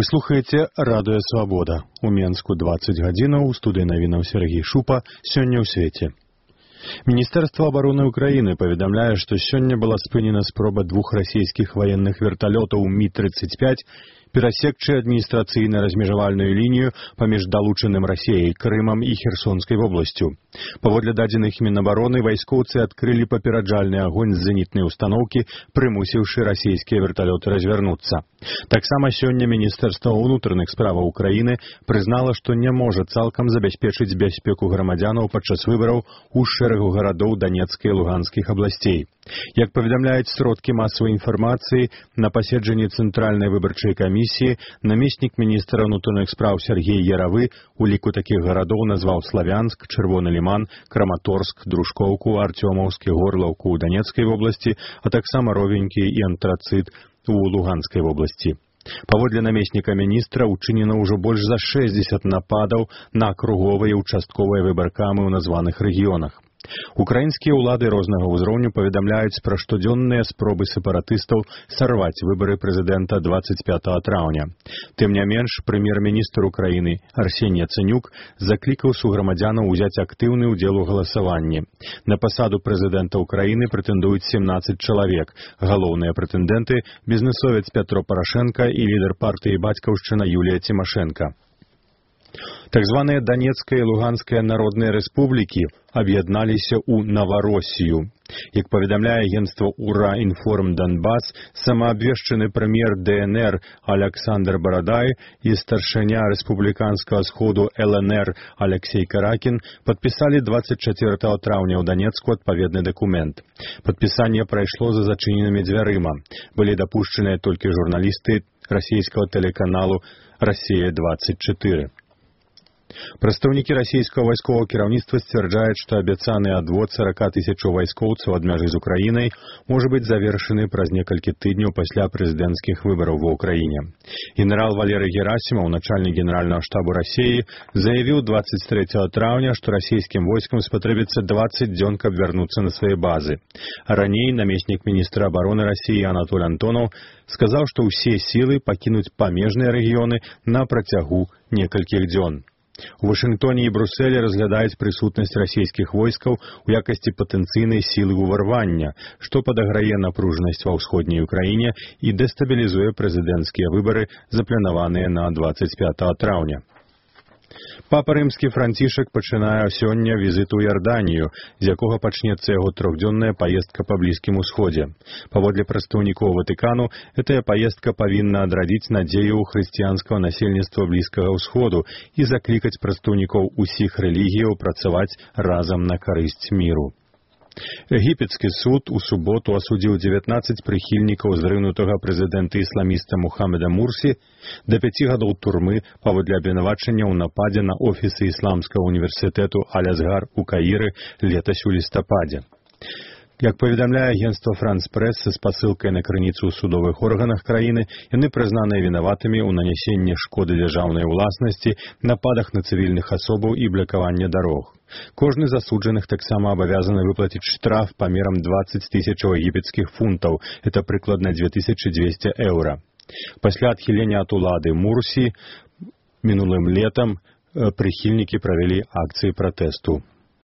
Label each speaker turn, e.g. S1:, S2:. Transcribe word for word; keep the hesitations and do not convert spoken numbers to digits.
S1: Вы слухаеце радыё Свабода. У Менску дваццаць гадзінаў, у студыі навінаў Сергей Шупа, сёння ў свеце. Міністэрства абароны Украіны паведамляе, што сёння была спынена спроба двух расійскіх ваенных верталётаў Ми тридцать пять перасекчы адміністрацыйна-размежавальную лінію паміж далучаным Расіяй, Крымам і Херсонскай вобласцю. Паводле дадзеных Мінабароны, вайскоўцы адкрылі папераджальны агонь з зенітнай устаноўкі, прымусіўшы расійскія верталёты развярнуцца. Таксама сёння Міністэрства ўнутраных справаў Украіны прызнала, што не можа цалкам забяспечыць бяспеку грамадзянаў падчас выбараў у шэрагу гарадоў Данецкай і Луганскіх абласцей. Як паведамляюць сродкі масавай інфармацыі, на паседжанні Цэнтральнай выбарчай камісіі намеснік міністра ўнутраных спраў Сергей Яравы у ліку такіх гарадоў назваў Славянск, Чырвоны Ліман, Краматорск, Дружкоўку, Артёмаўскі, Горлаўку ў Данецкай вобласці, а таксама Ровенькі і Антрацыт у Луганскай вобласці. Паводле намесніка міністра учынена ўжо больш за шэсцьдзесят нападаў на акруговыя і ўчастковыя выбаркамы ў названых рэгіёнах. Украінскія ўлады рознага ўзроўню паведамляюць пра штодзённыя спробы сепаратыстаў сарваць выбары прэзідэнта дваццаць пятага траўня. Тым не менш, прэм'ер-міністр Украіны Арсеній Яцэнюк заклікаў суграмадзянаў узяць актыўны ўдзел у галасаванні. На пасаду прэзідэнта Украіны прэтэндуюць семнаццаць чалавек. Галоўныя прэтэндэнты – бізнэсовец Пятро Парашенка і лідар партыі «Бацькаўшчына» Юлія Цімашэнка. Так званыя Данецкая і Луганская народныя рэспублікі аб'ядналіся ў Навароссію. Як паведамляе агенцтва «Ура-Інформ Донбас», самаабвешчаны прэм'ер Дэ Эн Эр Аляксандр Барадай і старшыня рэспубліканскага сходу Эл Эн Эр Аляксей Каракін падпісалі дваццаць чацвёртага траўня ў Данецку адпаведны дакумент. Падпісанне прайшло за зачыненымі дзвярыма. Былі дапушчаныя толькі журналісты расійскага тэлеканалу «Расія двадцать четыре». Прадстаўнікі расійскага вайсковага кіраўніцтва сцвярджаюць, што абяцаны адвод сорок тысячаў вайскоўцаў ад мяжы з Украінай можа быць завершаны праз некалькі тыдняў пасля прэзідэнцкіх выбараў ва ўкраіне. Генерал Валерый Герасімаў, начальнік генеральнага штабу Расіі, заявіў дваццаць трэцяга траўня, што расійскім войскам спатрэбіцца дваццаць дзён, каб вярнуцца на свае базы. А раней намеснік міністра абароны Расіі Анатоль Антонаў сказаў, што ўсе сілы пакінуць памежныя рэгіёны на працягу некалькіх дзён. У Вашынгтоне і Брусэлі разглядаюць прысутнасць расійскіх войскаў у якасці патэнцыйнай сілы ўварвання, што падаграе напружанасць ва ўсходняй Украіне і дэстабілізуе прэзідэнцкія выбары, запланаваныя на дваццаць пятага траўня. Папа Рымскі Францішак пачынае сёння візіт у Ярданію, з якога пачнецца яго трохдзённая паездка па Блізкім Усходзе. Паводле прадстаўнікоў Ватыкану, гэтая паездка павінна адрадзіць надзею ў хрысціянскага насельніцтва Блізкага Ўсходу і заклікаць прадстаўнікоў усіх рэлігіяў працаваць разам на карысць міру. Егіпецкі суд у суботу асудзіў дзевятнаццаць прыхільнікаў зрынутага прэзідэнта-ісламіста Мухаммеда Мурсі да пяці гадоў турмы паводле абвінавачання ў нападзе на офісы ісламскага універсітэту Аль-Азгар у Каіры летась у лістападзе. Як паведамляе агенцтва «Франс-Прэс» са спасылкай на крыніцу ў судовых органах краіны, яны прызнаныя вінаватымі ў нанясенні шкоды дзяржаўнай уласнасці, нападах на цывільных асобаў і блакаванне дарог. Кожны з асуджаных таксама абавязаны выплаціць штраф памерам дваццаць тысячаў егіпецкіх фунтаў, это прыкладна дзве тысячы дзвесце еўра. Пасля адхілення ад улады Мурсі мінулым летам прыхільнікі правялі акцыі пратэсту.